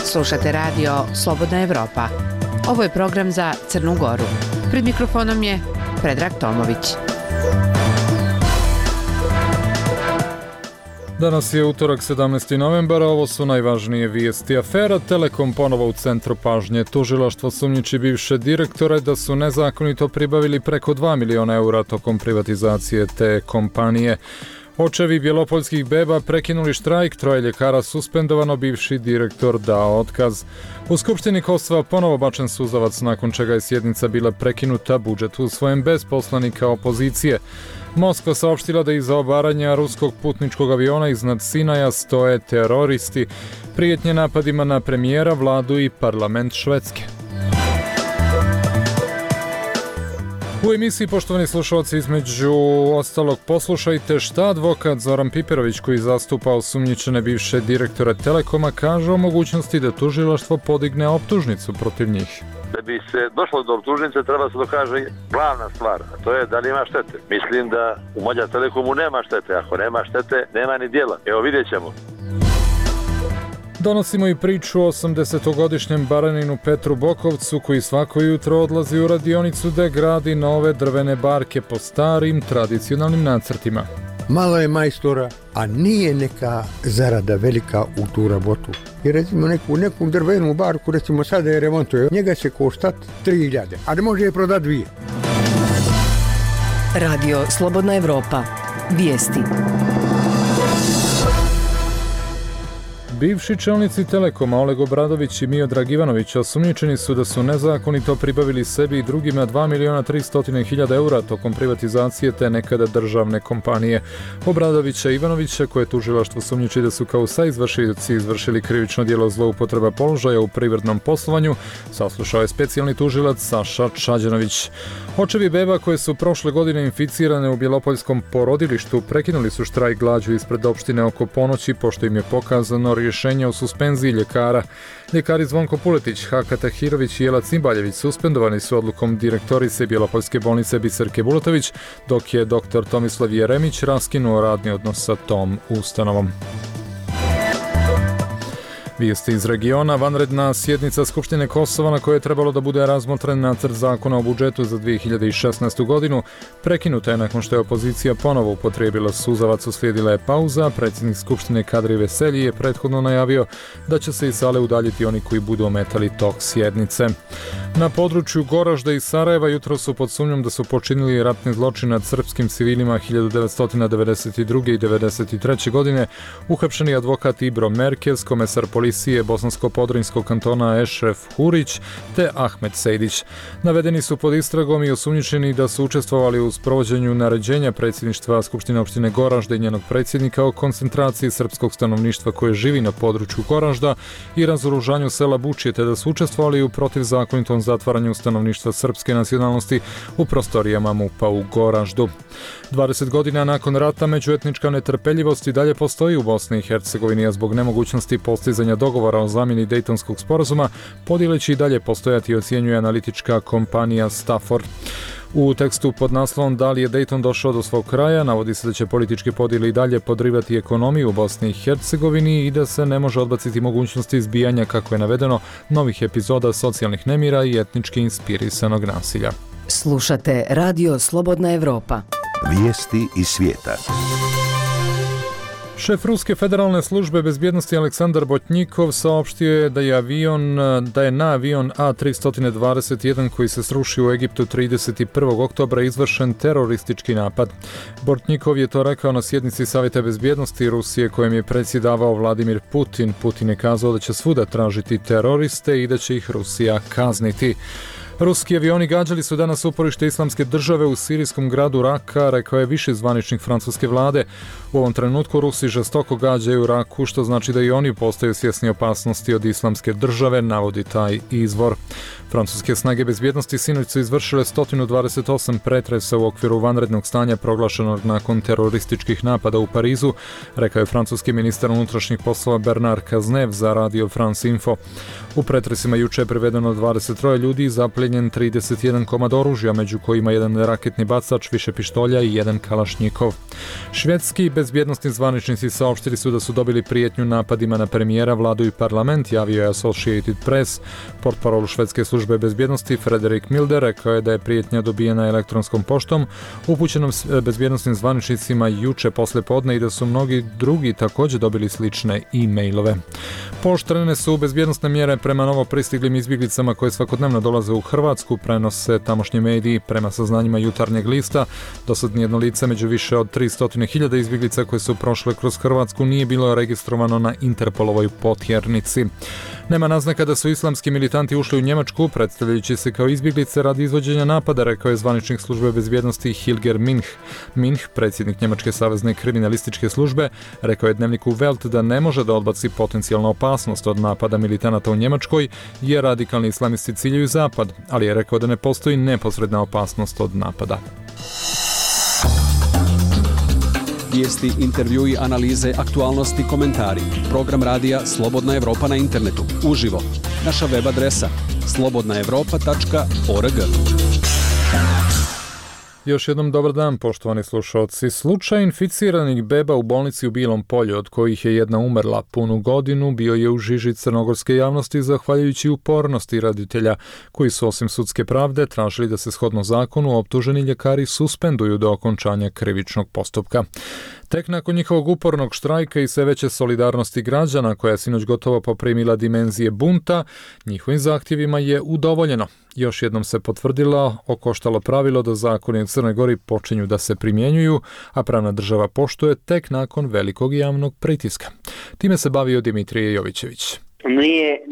Slušate radio Slobodna Evropa. Ovo je program za Crnu Goru. Pred mikrofonom je Predrag Tomović. Danas je utorak 17. novembar, a ovo su najvažnije vijesti. Afera Telekom ponovo u centru pažnje. Tužilaštvo sumnjiči bivše direktore da su nezakonito pribavili preko 2 miliona eura tokom privatizacije te kompanije. Očevi bjelopoljskih beba prekinuli štrajk, 3 ljekara suspendovano, bivši direktor dao otkaz. U Skupštini Kosova ponovo bačen suzavac nakon čega je sjednica bila prekinuta, budžet usvojen bez poslanika opozicije. Moskva saopštila da iza obaranja ruskog putničkog aviona iznad Sinaja stoje teroristi, prijetnje napadima na premijera, vladu i parlament Švedske. U emisiji, poštovani slušalci, između ostalog poslušajte šta advokat Zoran Piperović, koji zastupa osumnjičene bivše direktore Telekoma, kaže o mogućnosti da tužilaštvo podigne optužnicu protiv njih. Da bi se došlo do optužnice treba se dokaže glavna stvar, a to je da li ima štete. Mislim da u Magyar Telekomu nema štete, ako nema štete nema ni djela. Evo, vidjet ćemo. Donosimo i priču o 80-godišnjem baraninu Petru Bokovcu, koji svako jutro odlazi u radionicu da gradi nove drvene barke po starim tradicionalnim nacrtima. Malo je majstora, a nije neka zarada velika u tu rabotu. I recimo neku drvenu barku, recimo sada je remontuje, njega će koštati 3.000, a ne može je prodati 2. Radio Slobodna Evropa. Vijesti. Bivši čelnici Telekoma Oleg Obradović i Miodrag Ivanović osumnjičeni su da su nezakonito pribavili sebi i drugima 2.300.000 eura tokom privatizacije te nekada državne kompanije. Obradovića i Ivanovića, koje tužilaštvo sumnjiči da su kao saizvršioci izvršili krivično djelo zloupotreba položaja u privrednom poslovanju, saslušao je specijalni tužilac Saša Čađanović. Očevi beba koje su prošle godine inficirane u bjelopoljskom porodilištu prekinuli su štrajk glađu ispred opštine oko ponoći, pošto im je pokazano rješenje o suspenziji ljekara. Ljekari Zvonko Puletić, Haka Tahirović i Jela Cimbaljević suspendovani su odlukom direktorice Bjelopoljske bolnice Biserke Bulatović, dok je dr. Tomislav Jeremić raskinuo radni odnos sa tom ustanovom. Vijesti iz regiona. Vanredna sjednica Skupštine Kosova, na kojoj je trebalo da bude razmotren nacrt zakona o budžetu za 2016. godinu, prekinuta je nakon što je opozicija ponovo upotrijebila suzavac. Uslijedila je pauza. Predsjednik Skupštine Kadri Veselji je prethodno najavio da će se iz sale udaljiti oni koji budu ometali tok sjednice. Na području Goražda i Sarajeva jutro su pod sumnjom da su počinili ratni zločin nad srpskim civilima 1992. i 1993. godine uhapšeni advokat Ibro Merkez, komesar policije Bosansko-Podrinjskog kantona Ešref Hurić te Ahmet Sejdić. Navedeni su pod istragom i osumnjičeni da su učestvovali u sprovođenju naređenja predsjedništva Skupštine opštine Goražda i njenog predsjednika o koncentraciji srpskog stanovništva koje živi na području Goražda i razoružanju sela Bučje, te da su učestvovali u protivzakonitom zatvaranju stanovništva srpske nacionalnosti u prostorijama MUP-a u Goraždu. 20 godina nakon rata međuetnička netrpeljivost i dalje postoji u Bosni i Hercegovini, a zbog nemogućnosti postizanja dogovora o zamjeni Dejtonskog sporazuma podjele će i dalje postojati, ocjenjuje analitička kompanija Stafford. U tekstu pod naslovom "Da li je Dejton došao do svog kraja" navodi se da će političke podjele i dalje podrivati ekonomiju u Bosni i Hercegovini i da se ne može odbaciti mogućnosti izbijanja, kako je navedeno, novih epizoda socijalnih nemira i etnički inspirisanog nasilja. Slušate Radio Slobodna Evropa. Vijesti iz svijeta. Šef Ruske federalne službe bezbjednosti Aleksandar Botnjikov saopštio je da je na avion A321 koji se srušio u Egiptu 31. oktobra izvršen teroristički napad. Botnjikov je to rekao na sjednici Savjeta bezbjednosti Rusije kojem je predsjedavao Vladimir Putin. Putin je kazao da će svuda tražiti teroriste i da će ih Rusija kazniti. Ruski avioni gađali su danas uporište Islamske države u sirijskom gradu Raka, rekao je viši zvaničnik francuske vlade. U ovom trenutku Rusi žestoko gađaju Raku, što znači da i oni postaju svjesni opasnosti od Islamske države, navodi taj izvor. Francuske snage bezbjednosti sinoć su izvršile 128 pretresa u okviru vanrednog stanja proglašenog nakon terorističkih napada u Parizu, rekao je francuski ministar unutrašnjih poslova Bernard Cazeneuve za Radio France Info. U pretresima juče je privedeno 23 ljudi i zaplijenjeno zaplijenjen 31 komad oružja, među kojima jedan raketni bacač, više pištolja i jedan kalašnjikov. Švedski bezbjednosni zvaničnici saopštili su da su dobili prijetnju napadima na premijera, vladu i parlament, javio je Associated Press. Portparol švedske službe bezbjednosti Frederik Milder rekao je da je prijetnja dobijena elektronskom poštom upućenom bezbjednosnim zvaničnicima juče poslijepodne i da su mnogi drugi također dobili slične e-mailove. Pooštrene su bezbjednosne mjere prema novo pristiglim izbjeglicama koje svakodnevno dolaze u Hrvatsku, prenose tamošnji mediji. Prema saznanjima Jutarnjeg lista, dosad nijedno lice među više od 300.000 izbjeglica koje su prošle kroz Hrvatsku nije bilo registrovano na Interpolovoj potjernici. Nema naznaka da su islamski militanti ušli u Njemačku, predstavljajući se kao izbjeglice radi izvođenja napada, rekao je zvaničnik službe bezbjednosti Hilger Minch. Minch, predsjednik Njemačke savezne kriminalističke službe, rekao je dnevniku Welt da ne može da odbaci potencijalnu opasnost od napada militanata u Njemačkoj, jer radikalni islamisti ciljaju zapad, ali je rekao da ne postoji neposredna opasnost od napada. Vijesti, intervjui, analize, aktualnosti, komentari. Program radija Slobodna Evropa na internetu. Uživo. Naša web adresa slobodnaevropa.org. Još jednom dobar dan, poštovani slušalci. Slučaj inficiranih beba u bolnici u Bilom Polju, od kojih je jedna umrla punu godinu, bio je u žiži crnogorske javnosti zahvaljujući upornosti roditelja, koji su osim sudske pravde tražili da se shodno zakonu optuženi ljekari suspenduju do okončanja krivičnog postupka. Tek nakon njihovog upornog štrajka i sve veće solidarnosti građana, koja je sinoć gotovo poprimila dimenzije bunta, njihovim zahtjevima je udovoljeno. Još jednom se potvrdilo okoštalo pravilo da zakoni u Crnoj Gori počinju da se primjenjuju, a pravna država poštuje tek nakon velikog javnog pritiska. Time se bavio Dimitrije Jovićević.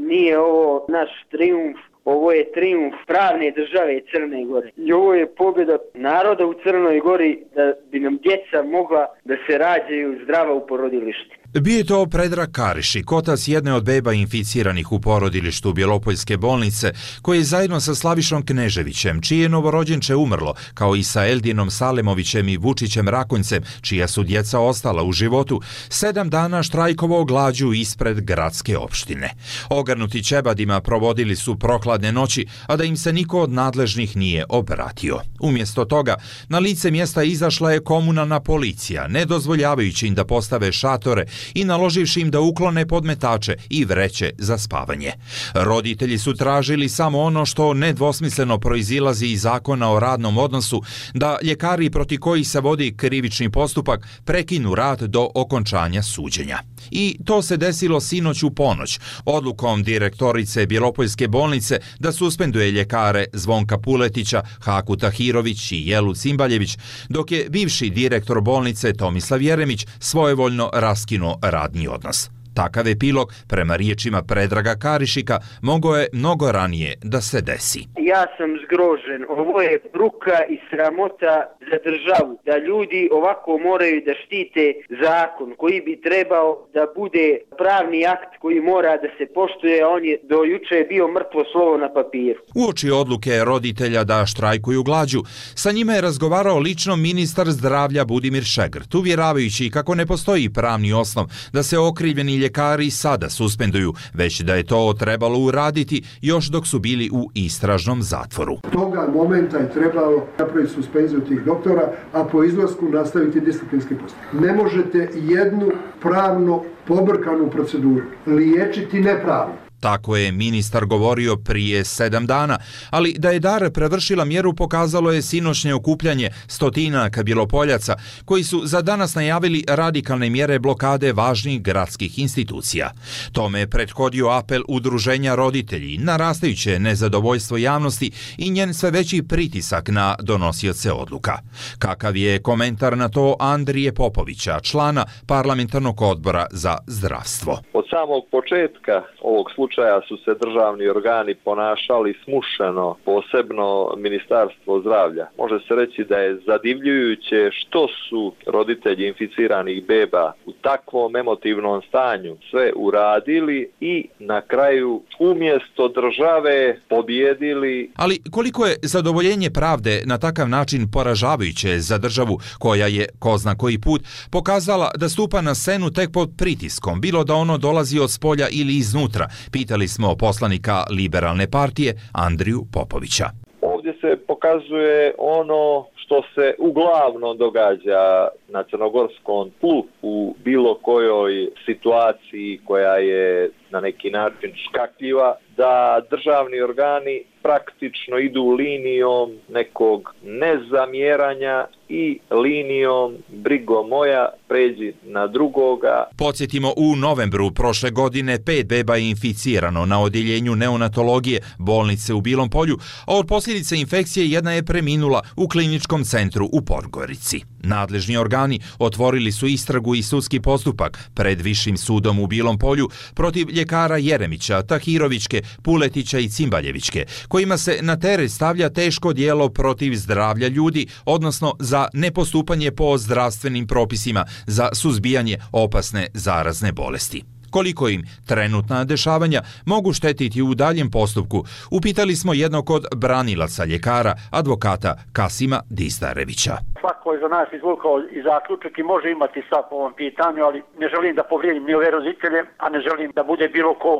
Nije ovo naš trijumf. Ovo je trijumf pravne države Crne Gore. I ovo je pobjeda naroda u Crnoj Gori da bi nam djeca mogla da se rađaju zdrava u porodilištu. Bio je to Predrag Karišik, otac jedne od beba inficiranih u porodilištu Bjelopoljske bolnice, koji je zajedno sa Slavišom Kneževićem, čije novorođenče umrlo, kao i sa Eldinom Salemovićem i Vučićem Rakonjcem, čija su djeca ostala u životu, 7 dana štrajkovao glađu ispred gradske opštine. Ogrnuti ćebadima provodili su prokladne noći, a da im se niko od nadležnih nije obratio. Umjesto toga, na lice mjesta izašla je komunalna policija, ne dozvoljavajući im da postave šatore i naloživši im da uklone podmetače i vreće za spavanje. Roditelji su tražili samo ono što nedvosmisleno proizilazi iz zakona o radnom odnosu, da ljekari proti kojih se vodi krivični postupak prekinu rad do okončanja suđenja. I to se desilo sinoć u ponoć, odlukom direktorice Bjelopoljske bolnice da suspenduje ljekare Zvonka Puletića, Haku Tahirović i Jelu Cimbaljević, dok je bivši direktor bolnice Tomislav Jeremić svojevoljno raskinuo radni odnos. Takav epilog, prema riječima Predraga Karišika, mogao je mnogo ranije da se desi. Ja sam zgrožen. Ovo je bruka i sramota za državu. Da ljudi ovako moraju da štite zakon koji bi trebao da bude pravni akt koji mora da se poštuje, a on je do juče bio mrtvo slovo na papiru. Uoči odluke roditelja da štrajkuju glađu, sa njima je razgovarao lično ministar zdravlja Budimir Šegrt, uvjeravajući kako ne postoji pravni osnov da se okrivljeni ljekari sada suspenduju, već da je to trebalo uraditi još dok su bili u istražnom zatvoru. Toga momenta je trebalo napraviti suspenziju tih doktora, a po izlasku nastaviti disciplinski postupak. Ne možete jednu pravno pobrkanu proceduru liječiti nepravno. Tako je ministar govorio prije 7 dana, ali da je Dar prevršila mjeru pokazalo je sinoćnje okupljanje stotinaka Bjelopoljaca koji su za danas najavili radikalne mjere blokade važnih gradskih institucija. Tome je prethodio apel udruženja roditelji, narastajuće nezadovoljstvo javnosti i njen sve veći pritisak na donosioce odluka. Kakav je komentar na to Andrije Popovića, člana parlamentarnog odbora za zdravstvo? Od samog početka ovog slučaja su se državni organi ponašali smušeno, posebno Ministarstvo zdravlja. Može se reći da je zadivljujuće što su roditelji inficiranih beba u takvom emotivnom stanju sve uradili i na kraju umjesto države pobjedili. Ali koliko je zadovoljenje pravde na takav način poražavajuće za državu koja je, ko zna koji put, pokazala da stupa na scenu tek pod pritiskom, bilo da ono dolazi od spolja ili iznutra, Pitali smo poslanika Liberalne partije Andriju Popovića. Ovdje se pokazuje ono što se uglavnom događa na crnogorskom tlu u bilo kojoj situaciji koja je na neki način škakljiva, da državni organi praktično idu linijom nekog nezamjeranja i linijom brigo moja, pređi na drugoga. Podsjetimo, u novembru prošle godine 5 beba je inficirano na odjeljenju neonatologije bolnice u Bilom Polju, a od posljedice infekcije jedna je preminula u kliničkom centru u Podgorici. Nadležni organi otvorili su istragu i sudski postupak pred Višim sudom u Bilom Polju protiv ljekara Jeremića, Tahirovićke, Puletića i Cimbaljevićke, kojima se na teret stavlja teško djelo protiv zdravlja ljudi, odnosno za nepostupanje po zdravstvenim propisima za suzbijanje opasne zarazne bolesti. Koliko im trenutna dešavanja mogu štetiti u daljem postupku, upitali smo jednog od branilaca ljekara, advokata Kasima Distarevića. Svako je za nas izvukao i zaključak i može imati stav po ovom pitanju, ali ne želim da povrijedim ni ove roditelje, a ne želim da bude bilo ko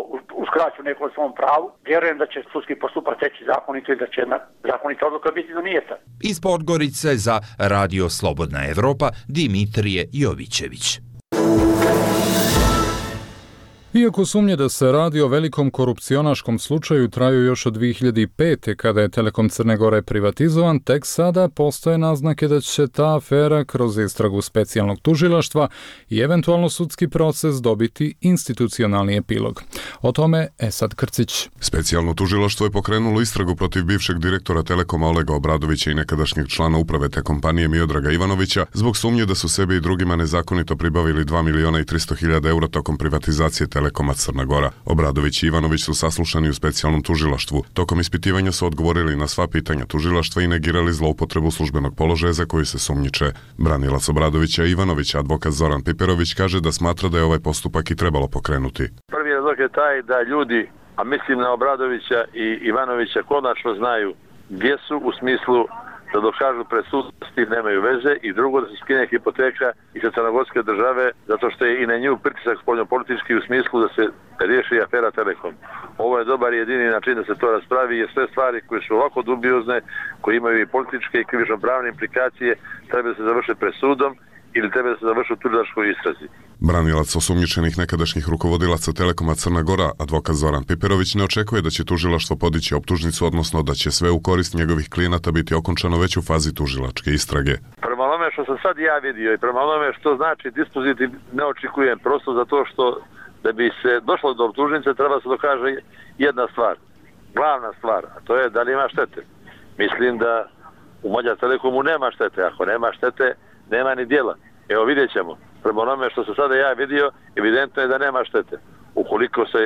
uskraću neko svom pravu. Vjerujem da će sudski postupak teći zakonito i da će zakonita odluka biti donijeta. Iz Podgorice za Radio Slobodna Evropa, Dimitrije Jovićević. Iako sumnje da se radi o velikom korupcionaškom slučaju traju još od 2005. kada je Telekom Crne Gore privatizovan, tek sada postoje naznake da će ta afera kroz istragu specijalnog tužilaštva i eventualno sudski proces dobiti institucionalni epilog. O tome Esad Krcić. Specijalno tužilaštvo je pokrenulo istragu protiv bivšeg direktora Telekoma Olega Obradovića i nekadašnjeg člana uprave te kompanije Miodraga Ivanovića zbog sumnje da su sebi i drugima nezakonito pribavili 2.300.000 eura tokom privatizacije Telekoma Crna Gora. Obradović i Ivanović su saslušani u specijalnom tužilaštvu. Tokom ispitivanja su odgovorili na sva pitanja tužilaštva i negirali zloupotrebu službenog položaja za koju se sumnjiče. Branilac Obradovića i Ivanovića, advokat Zoran Piperović, kaže da smatra da je ovaj postupak i trebalo pokrenuti. Prvi razlog je taj da ljudi, a mislim na Obradovića i Ivanovića, konačno znaju gdje su, u smislu da dokažu predsudnosti nemaju veze, i drugo da se skine hipoteka i sa crnogorske države, zato što je i na nju pritisak spoljnopolitički u smislu da se riješi afera Telekom. Ovo je dobar i jedini način da se to raspravi, jer sve stvari koje su ovako dubiozne, koje imaju i političke i krivično-pravne implikacije, treba da se završe presudom ili treba da se završi u tužilačkoj istrazi. Branilac osumnjičenih nekadašnjih rukovodilaca Telekoma Crna Gora, advokat Zoran Piperović, ne očekuje da će tužilaštvo podići optužnicu, odnosno da će sve u korist njegovih klijenata biti okončano već u fazi tužilačke istrage. Prema onome što sam sad ja vidio i prema onome što znači dispozitiv, ne očekujem, prosto zato što da bi se došlo do optužnice treba se dokaže jedna stvar, glavna stvar, a to je da li ima štete. Mislim da u Mađar Telekomu nema štete, ako nema štete nema ni djela. Evo vidjet ćemo. Prema onome što sam sada ja vidio, evidentno je da nema štete. Ukoliko se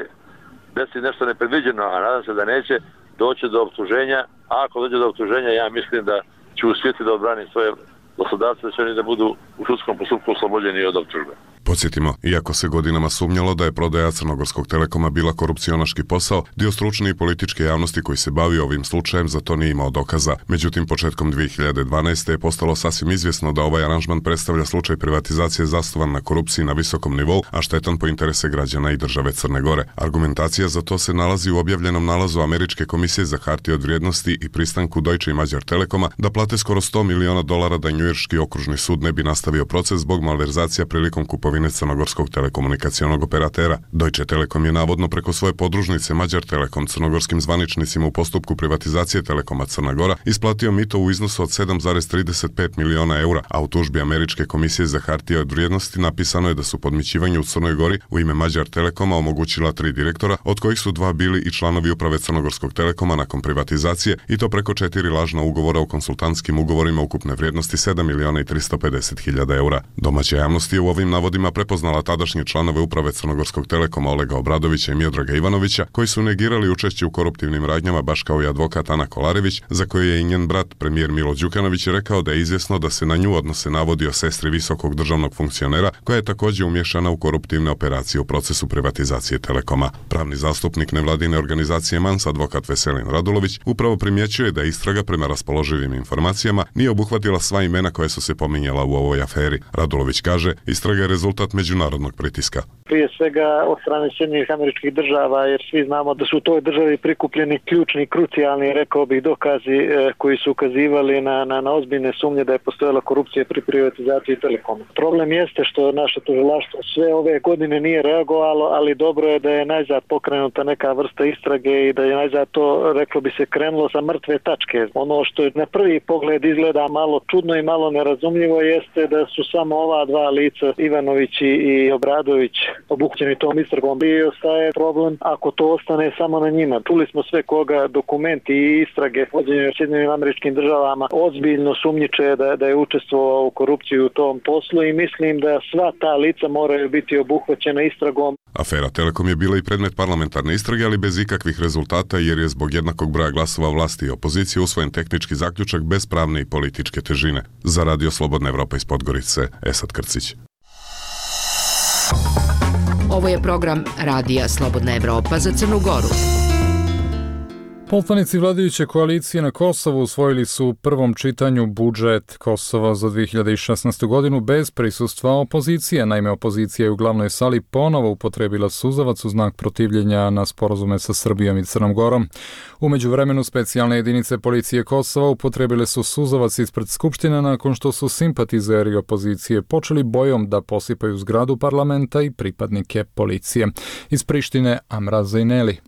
desi nešto nepredviđeno, a nadam se da neće, doći do optuženja, a ako dođe do optuženja, ja mislim da ću uspjeti da odbranim svoje poslodavce, da će oni da budu u sudskom postupku oslobođeni od optužbe. Podsjetimo, iako se godinama sumnjalo da je prodaja Crnogorskog Telekoma bila korupcionaški posao, dio stručne i političke javnosti koji se bavi ovim slučajem za to nije imao dokaza. Međutim, početkom 2012. je postalo sasvim izvjesno da ovaj aranžman predstavlja slučaj privatizacije zasnovan na korupciji na visokom nivou, a štetan po interese građana i države Crne Gore. Argumentacija za to se nalazi u objavljenom nalazu Američke komisije za hartije od vrijednosti i pristanku Deutsche i Mađar Telekoma da plate skoro $100 miliona da njujorški okružni sud ne bi nastavio proces zbog malverzacija prilikom kupovine crnogorskog telekomunikacionog operatera. Deutsche Telekom je navodno preko svoje podružnice Mađar Telekom crnogorskim zvaničnicima u postupku privatizacije Telekoma Crna Gora isplatio mito u iznosu od 7,35 miliona eura, a u tužbi Američke komisije za hartije od vrijednosti napisano je da su podmićivanje u Crnoj Gori u ime Mađar Telekoma omogućila 3 direktora, od kojih su 2 bili i članovi uprave Crnogorskog Telekoma nakon privatizacije, i to preko 4 lažna ugovora o konsultantskim ugovorima ukupne vrijednosti 7.350.000 eura. Domaća javnost je u ovim navodima prepoznala tadašnje članove uprave Crnogorskog Telekoma Olega Obradovića i Miodraga Ivanovića, koji su negirali učešće u koruptivnim radnjama, baš kao i advokat Ana Kolarević, za koju je i njen brat, premijer Milo Đukanović, rekao da je izvjesno da se na nju odnose navodi o sestri visokog državnog funkcionera, koja je također umješana u koruptivne operacije u procesu privatizacije Telekoma. Pravni zastupnik nevladine organizacije MANS, advokat Veselin Radulović, upravo primjećuje da istraga prema raspoloživim informacijama nije obuhvatila sva imena koja su se pominjala u ovoj aferi. Radulović kaže, istraga je rezultat rezultat međunarodnog pritiska. Prije svega od strane Sjedinjenih Američkih Država, jer svi znamo da su u toj državi prikupljeni ključni, krucijalni, rekao bih, dokazi koji su ukazivali na ozbiljne sumnje da je postojala korupcija pri privatizaciji Telekoma. Problem jeste što naše tužilaštvo sve ove godine nije reagovalo, ali dobro je da je najzad pokrenuta neka vrsta istrage i da je najzad to, reklo bi se, krenulo sa mrtve tačke. Ono što je na prvi pogled izgleda malo čudno i malo nerazumljivo jeste da su samo ova dva lica, Ivanović i Obradović, obuhvaćeni tom istragom. I ostaje problem ako to ostane samo na njima. Čuli smo sve koga dokumenti i istrage vođenje u Sjedinjenim Američkim Državama ozbiljno sumnjiče da je učestvovao u korupciju u tom poslu i mislim da sva ta lica moraju biti obuhvaćena istragom. Afera Telekom je bila i predmet parlamentarne istrage, ali bez ikakvih rezultata jer je zbog jednakog broja glasova vlasti i opozicije usvojen tehnički zaključak bez pravne i političke težine. Za Radio Slobodna Evropa iz Podgorice, Esad Krcić. Ovo je program Radija Slobodna Evropa za Crnu Goru. Poslanici vladajuće koalicije na Kosovu usvojili su u prvom čitanju budžet Kosova za 2016. godinu bez prisustva opozicije. Naime, opozicija je u glavnoj sali ponovo upotrebila suzavac u znak protivljenja na sporazume sa Srbijom i Crnom Gorom. U međuvremenu specijalne jedinice policije Kosova upotrebile su suzavac ispred Skupštine nakon što su simpatizeri opozicije počeli bojom da posipaju zgradu parlamenta i pripadnike policije. Iz Prištine Amra Zejneli.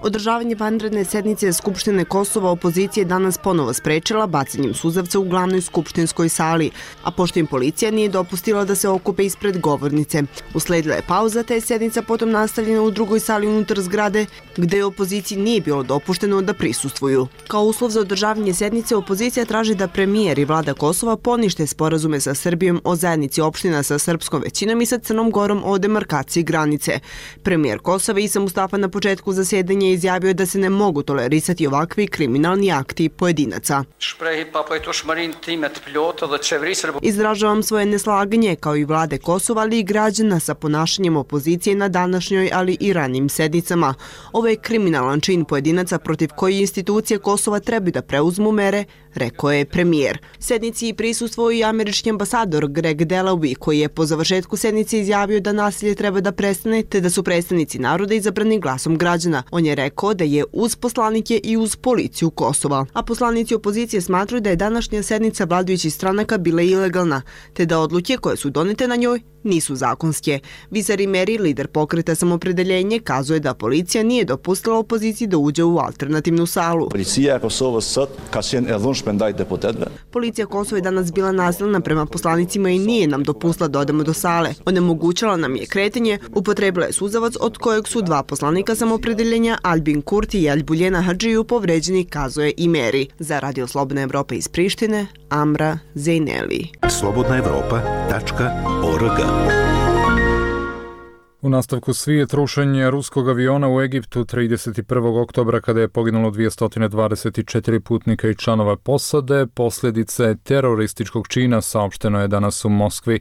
Održavanje vanredne sednice Skupštine Kosova opozicija je danas ponovo sprečila bacanjem suzavca u glavnoj skupštinskoj sali, a pošto im policija nije dopustila da se okupe ispred govornice. Usledila je pauza, te je sednica potom nastavljena u drugoj sali unutar zgrade, gde opoziciji nije bilo dopušteno da prisustvuju. Kao uslov za održavanje sednice, opozicija traži da premijer i vlada Kosova ponište sporazume sa Srbijom o zajednici opština sa srpskom većinom i sa Crnom Gorom o demarkaciji granice. Premijer Kosova Isa Mustafa na početku zasedanja izjavio da se ne mogu tolerisati ovakvi kriminalni akti pojedinaca. Izražavam svoje neslaganje kao i vlade Kosova, ali i građana sa ponašanjem opozicije na današnjoj, ali i ranim sednicama. Ovo je kriminalan čin pojedinaca protiv koji institucije Kosova trebaju da preuzmu mere, rekao je premijer. Sednici prisustvovao i američki ambasador Greg Delawy, koji je po završetku sednice izjavio da nasilje treba da prestane, te da su predstavnici naroda izabrani glasom građana. On je rekao da je uz poslanike i uz policiju Kosova. A poslanici opozicije smatruju da je današnja sednica vladajućih stranaka bila ilegalna, te da odluke koje su donete na njoj nisu zakonske. Visari Meri, lider pokreta Samopredeljenje, kazuje da policija nije dopustila opoziciji da uđe u alternativnu salu. Policija Kosova je danas bila nasilna prema poslanicima i nije nam dopustila da odemo do sale. Onemogućala nam je kretanje, upotrebila je suzavac od kojeg su dva poslanika Samopredeljenja, Albin Kurti i Albuljena Hadžiju, povređeni, kazuje i Meri. Za Radio Slobodna Evropa iz Prištine, Amra Zejneli. slobodnaevropa.org. U nastavku svijet rušenje ruskog aviona u Egiptu 31. oktobra kada je poginulo 224 putnika i članova posade. Posljedice terorističkog čina saopšteno je danas u Moskvi.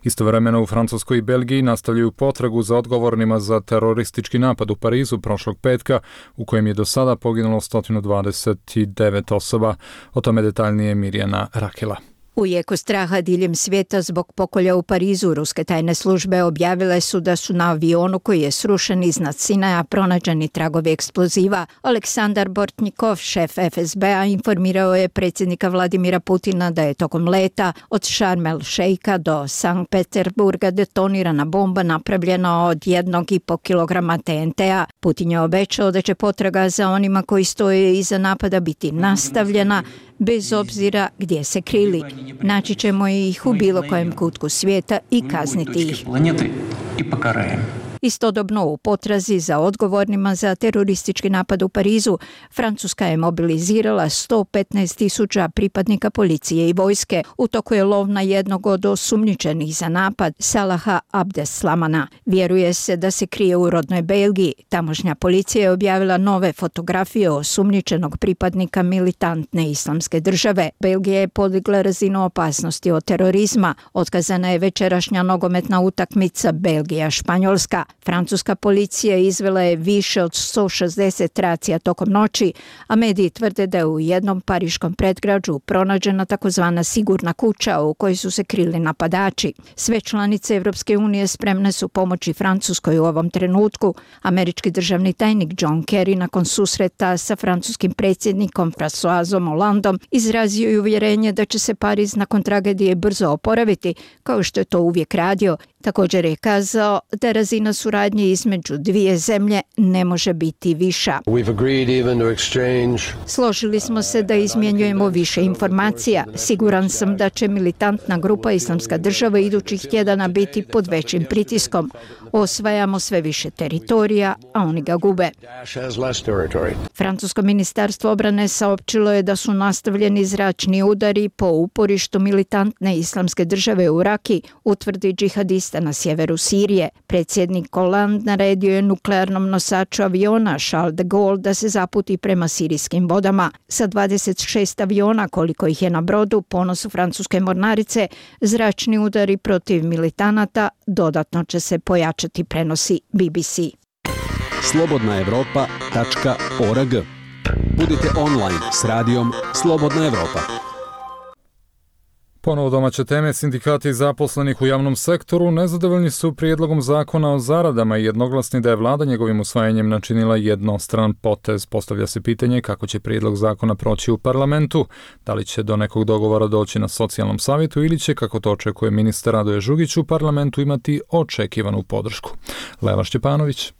Istovremeno u Francuskoj i Belgiji nastavljaju potragu za odgovornima za teroristički napad u Parizu prošlog petka u kojem je do sada poginulo 129 osoba. O tome detaljnije Mirjana Rakela. U jeku straha diljem svijeta zbog pokolja u Parizu, ruske tajne službe objavile su da su na avionu koji je srušen iznad Sinaja pronađeni tragovi eksploziva. Aleksandar Bortnikov, šef FSB-a, informirao je predsjednika Vladimira Putina da je tokom leta od Šarm el Šeika do Sankt Peterburga detonirana bomba napravljena od 1,5 kilograma TNT-a. Putin je obećao da će potraga za onima koji stoje iza napada biti nastavljena, bez obzira gdje se krili. Naći ćemo ih u bilo kojem kutku svijeta i kazniti ih. Istodobno u potrazi za odgovornima za teroristički napad u Parizu, Francuska je mobilizirala 115.000 pripadnika policije i vojske. U toku je lov na jednog od osumnjičenih za napad, Salaha Abdeslamana. Vjeruje se da se krije u rodnoj Belgiji. Tamošnja policija je objavila nove fotografije osumnjičenog pripadnika militantne islamske države. Belgija je podigla razinu opasnosti od terorizma. Otkazana je večerašnja nogometna utakmica Belgija-Španjolska. Francuska policija izvela je više od 160 racija tokom noći, a mediji tvrde da je u jednom pariškom predgrađu pronađena takozvana sigurna kuća u kojoj su se krili napadači. Sve članice Evropske unije spremne su pomoći Francuskoj u ovom trenutku. Američki državni tajnik John Kerry nakon susreta sa francuskim predsjednikom Françoisom Hollandom izrazio je uvjerenje da će se Pariz nakon tragedije brzo oporaviti, kao što je to uvijek radio. Također je kazao da razina suradnje između dvije zemlje ne može biti viša. Složili smo se da izmjenjujemo više informacija. Siguran sam da će militantna grupa Islamska država idućih tjedana biti pod većim pritiskom. Osvajamo sve više teritorija, a oni ga gube. Francusko ministarstvo obrane saopćilo je da su nastavljeni zračni udari po uporištu militantne Islamske države u Raki, utvrdi džihadista na sjeveru Sirije. Predsjednik Hollande naredio je nuklearnom nosaču aviona Charles de Gaulle da se zaputi prema sirijskim vodama. Sa 26 aviona, koliko ih je na brodu, ponosu francuske mornarice, zračni udari protiv militanata dodatno će se pojačati, prenosi BBC. slobodnaevropa.org. Budite online s radijom Slobodna Evropa. Ponovo domaće teme. Sindikati zaposlenih u javnom sektoru nezadovoljni su prijedlogom zakona o zaradama i jednoglasni da je vlada njegovim usvajanjem načinila jednostran potez. Postavlja se pitanje kako će prijedlog zakona proći u parlamentu, da li će do nekog dogovora doći na socijalnom savjetu ili će, kako to očekuje ministar Radoje Žugić, u parlamentu imati očekivanu podršku. Leva Šćepanović.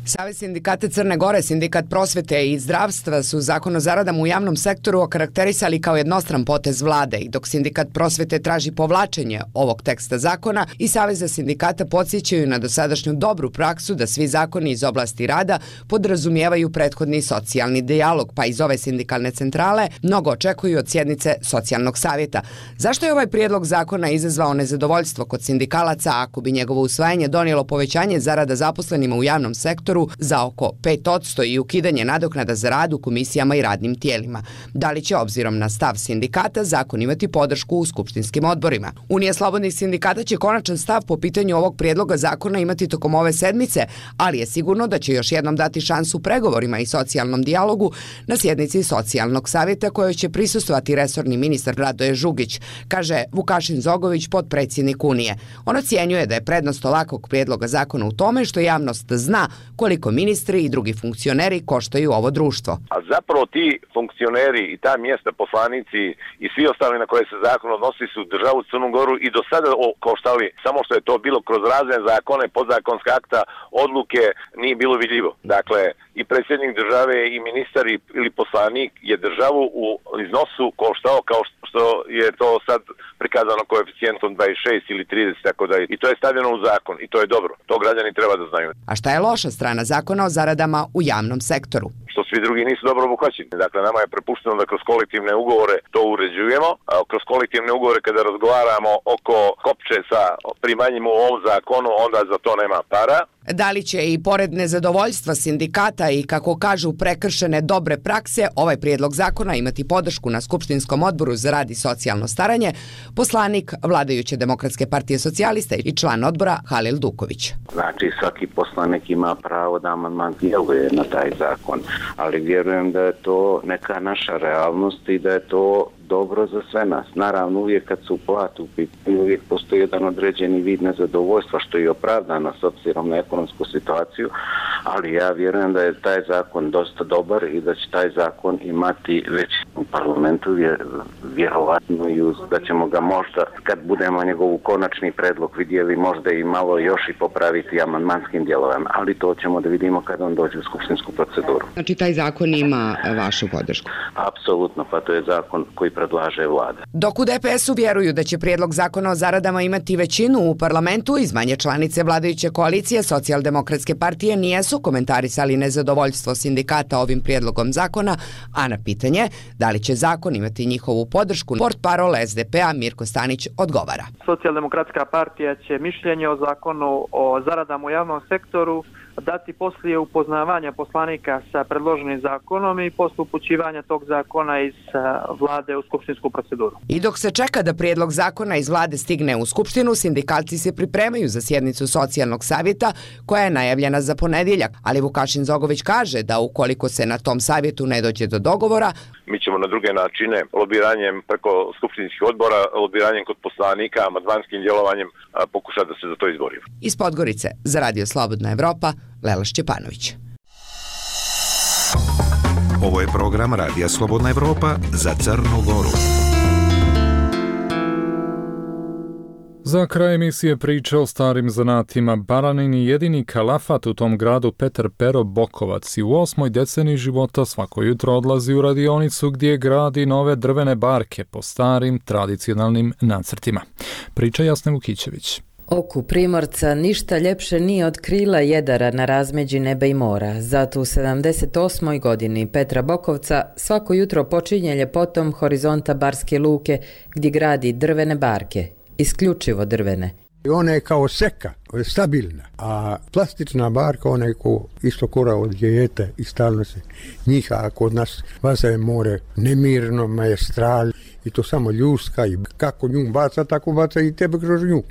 Savez sindikata Crne Gore, Sindikat prosvete i zdravstva su zakon o zaradama u javnom sektoru okarakterisali kao jednostran potez vlade i dok Sindikat prosvete traži povlačenje ovog teksta zakona i Saveza sindikata podsjećaju na dosadašnju dobru praksu da svi zakoni iz oblasti rada podrazumijevaju prethodni socijalni dijalog, pa iz ove sindikalne centrale mnogo očekuju od sjednice socijalnog savjeta. Zašto je ovaj prijedlog zakona izazvao nezadovoljstvo kod sindikalaca ako bi njegovo usvajanje donijelo povećanje zarada zaposlenima u javnom sektoru za oko 5% i ukidanje nadoknada za rad u komisijama i radnim tijelima? Da li će, obzirom na stav sindikata, zakon imati podršku u skupštinskim odborima? Unija slobodnih sindikata će konačan stav po pitanju ovog prijedloga zakona imati tokom ove sedmice, ali je sigurno da će još jednom dati šansu pregovorima i socijalnom dijalogu na sjednici socijalnog savjeta kojoj će prisustvovati resorni ministar Radoje Žugić, kaže Vukašin Zogović, potpredsjednik Unije. On ocjenjuje da je prednost ovakvog prijedloga zakona u tome što javnost zna koliko ministri i drugi funkcioneri koštaju ovo društvo. A zapravo ti funkcioneri i ta mjesta, poslanici i svi ostali na koje se zakon odnosi su državu Crnu Goru i do sada koštali, samo što je to bilo kroz razne zakone, podzakonska akta, odluke, nije bilo vidljivo. Dakle, i predsjednik države i ministar ili poslanik je državu u iznosu koštao kao što je to sad prikazano koeficijentom 26 ili 30, tako da i to je stavljeno u zakon i to je dobro. To građani treba da znaju. A šta je loša strana zakona o zaradama u javnom sektoru? Što svi drugi nisu dobro obuhvaćeni. Dakle, nama je prepušteno da kroz kolektivne ugovore to uređujemo. A kroz kolektivne ugovore kada razgovaramo oko kopče sa primanjem u ovom zakonu, onda za to nema para. Da li će i pored nezadovoljstva sindikata i, kako kažu, prekršene dobre prakse, ovaj prijedlog zakona imati podršku na Skupštinskom odboru za rad i socijalno staranje, poslanik vladajuće Demokratske partije socijalista i član odbora Halil Duković. Znači, svaki poslanik ima pravo da amandman djeluje na taj zakon, ali vjerujem da je to neka naša realnost i da je to dobro za sve nas. Naravno, uvijek kad su plate u pitanju, uvijek postoji jedan određeni vid nezadovoljstva, što je opravdano s obzirom na ekonomsku situaciju, ali ja vjerujem da je taj zakon dosta dobar i da će taj zakon imati većinu u parlamentu, vjerovatno i da ćemo ga možda, kad budemo njegovu konačni predlog vidjeli, možda i malo još i popraviti amandmanskim djelovanjem, ali to ćemo da vidimo kad on dođe u skupštinsku proceduru. Znači, taj zakon ima vašu podršku? Apsolutno, pa to je zakon koji predlaže vlada. Dok u DPS-u vjeruju da će prijedlog zakona o zaradama imati većinu u parlamentu, iz manje članice vladajuće koalicije Socijaldemokratske partije nijesu komentarisali nezadovoljstvo sindikata ovim prijedlogom zakona, a na pitanje da li će zakon imati njihovu podršku, portparol SDP-a Mirko Stanić odgovara. Socijaldemokratska partija će mišljenje o zakonu o zaradama u javnom sektoru dati poslije upoznavanja poslanika sa predloženim zakonom i posle upućivanja tog zakona iz vlade u skupštinsku proceduru. I dok se čeka da prijedlog zakona iz vlade stigne u skupštinu, sindikalci se pripremaju za sjednicu socijalnog savjeta koja je najavljena za ponedjeljak, ali Vukašin Zogović kaže da ukoliko se na tom savjetu ne dođe do dogovora, mi ćemo na druge načine, lobiranjem preko skupštinskih odbora, lobiranjem kod poslanika, amandmanskim djelovanjem pokušati da se za to izborimo. Iz Podgorice za Radio Slobodna Evropa, Lela Šćepanović. Ovo je program Radija Slobodna Evropa za Crnu Goru. Za kraj emisije priče o starim zanatima. Baranin i jedini kalafat u tom gradu Petar Pero Bokovac i u 8. deceniji života svako jutro odlazi u radionicu gdje gradi nove drvene barke po starim tradicionalnim nacrtima. Priča Jasne Vukićević. Oku Primorca ništa ljepše nije od krila jedara na razmeđi neba i mora. Zato u 78. godini Petra Bokovca svako jutro počinje ljepotom horizonta Barske luke gdje gradi drvene barke. Isključivo drvene. Ona je kao seka, stabilna, a plastična barka, ona je isto kora od dijete i stalno se njiha, a kod nas vaza je more nemirno, majestral i to samo ljuska i kako nju baca, tako baca i tebe kroz nju.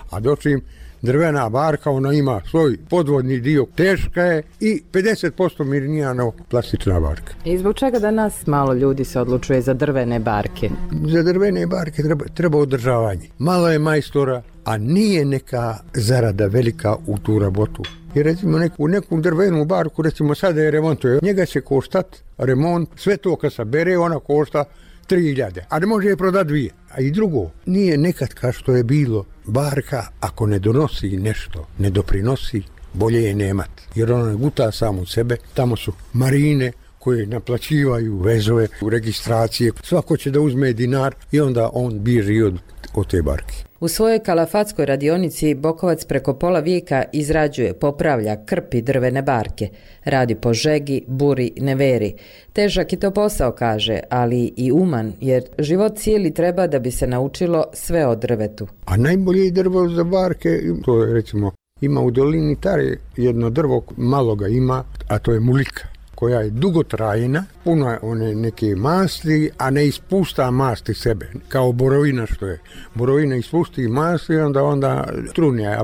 A dočim drvena barka, ona ima svoj podvodni dio, teška je i 50% mirnija no plastična barka. I zbog čega danas malo ljudi se odlučuje za drvene barke? Za drvene barke treba održavanje. Malo je majstora, a nije neka zarada velika u tu rabotu. I recimo neku drvenu barku, recimo sada je remontuje, njega će koštat remont, sve to kad se bere, ona košta 3.000, a ne može je prodati 2. A i drugo, nije nekad kao što je bilo, barka ako ne donosi nešto, ne doprinosi, bolje je nemat. Jer ona ne guta samu sebe, tamo su marine koje naplaćivaju vezove, registracije, svako će da uzme dinar i onda on bježi od te barke. U svojoj kalafatskoj radionici Bokovac preko pola vijeka izrađuje, popravlja, krpi drvene barke. Radi po žegi, buri, neveri. Težak je to posao, kaže, ali i uman, jer život cijeli treba da bi se naučilo sve o drvetu. A najbolje drvo za barke, to je recimo, ima u dolini Tare jedno drvo, malo ga ima, a to je mulika, koja je dugotrajna, puno je one neke masti, a ne ispušta masti sebe, kao borovina što je. Borovina ispusti masti, onda trune, a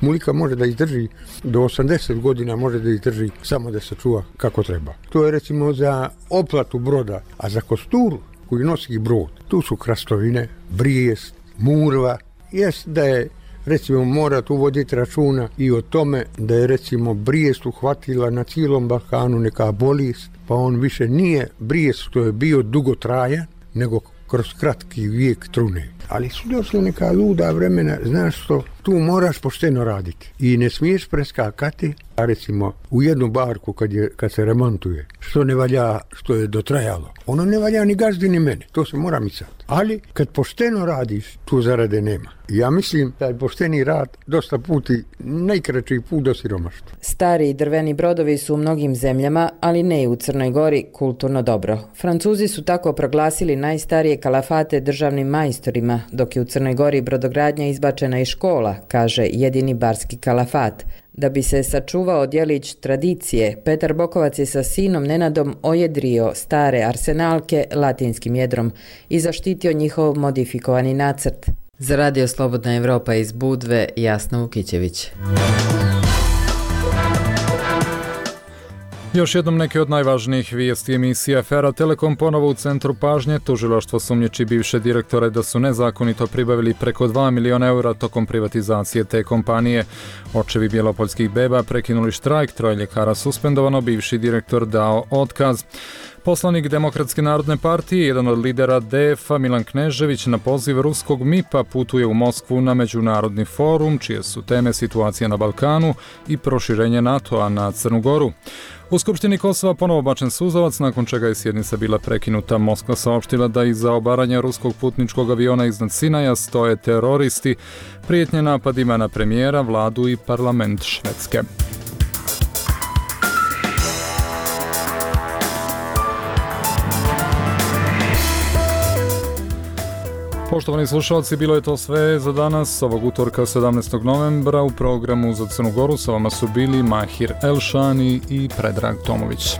mulika može da izdrži do 80 godina, može da izdrži samo da se čuva kako treba. To je recimo za oplatu broda, a za kosturu koji nosi brod, tu su krastovine, brijest, murva, jest da je recimo mora tu voditi računa i o tome da je recimo brijest uhvatila na cijelom Balkanu neka bolest, pa on više nije brijest što je bio dugotrajan, nego kroz kratki vijek trune. Ali su došli neka luda vremena, znaš što, tu moraš pošteno raditi i ne smiješ preskakati, a recimo u jednu barku kad se remontuje, što ne valja, što je dotrajalo, ono ne valja ni gazdi ni mene, to se mora misati. Ali kad pošteno radiš, tu zarade nema. Ja mislim da je pošteni rad dosta puti najkraći put do siromaštva. Stari drveni brodovi su u mnogim zemljama, ali ne i u Crnoj Gori, kulturno dobro. Francuzi su tako proglasili najstarije kalafate državnim majstorima, dok je u Crnoj Gori brodogradnja izbačena iz škola, kaže jedini barski kalafat. Da bi se sačuvao djelić tradicije, Petar Bokovac je sa sinom Nenadom ojedrio stare arsenalke latinskim jedrom i zaštitio njihov modifikovani nacrt. Za Radio Slobodna Evropa iz Budve, Jasna Vukićević. Još jednom neke od najvažnijih vijesti emisije. Afera Telekom ponovo u centru pažnje. Tužilaštvo sumnjiči bivše direktore da su nezakonito pribavili preko 2 miliona eura tokom privatizacije te kompanije. Očevi bjelopoljskih beba prekinuli štrajk, 3 ljekara suspendovano, bivši direktor dao otkaz. Poslanik Demokratske narodne partije, jedan od lidera DF-a, Milan Knežević, na poziv ruskog MIP-a putuje u Moskvu na međunarodni forum, čije su teme situacija na Balkanu i proširenje NATO-a na Crnu Goru. U Skupštini Kosova ponovo bačen suzavac, nakon čega je sjednica bila prekinuta. Moskva saopštila da iza obaranja ruskog putničkog aviona iznad Sinaja stoje teroristi, prijetnje napadima na premijera, vladu i parlament Švedske. Poštovani slušalci, bilo je to sve za danas, ovog utorka 17. novembra. U programu za Crnu Goru sa vama su bili Mahir Elšani i Predrag Tomović.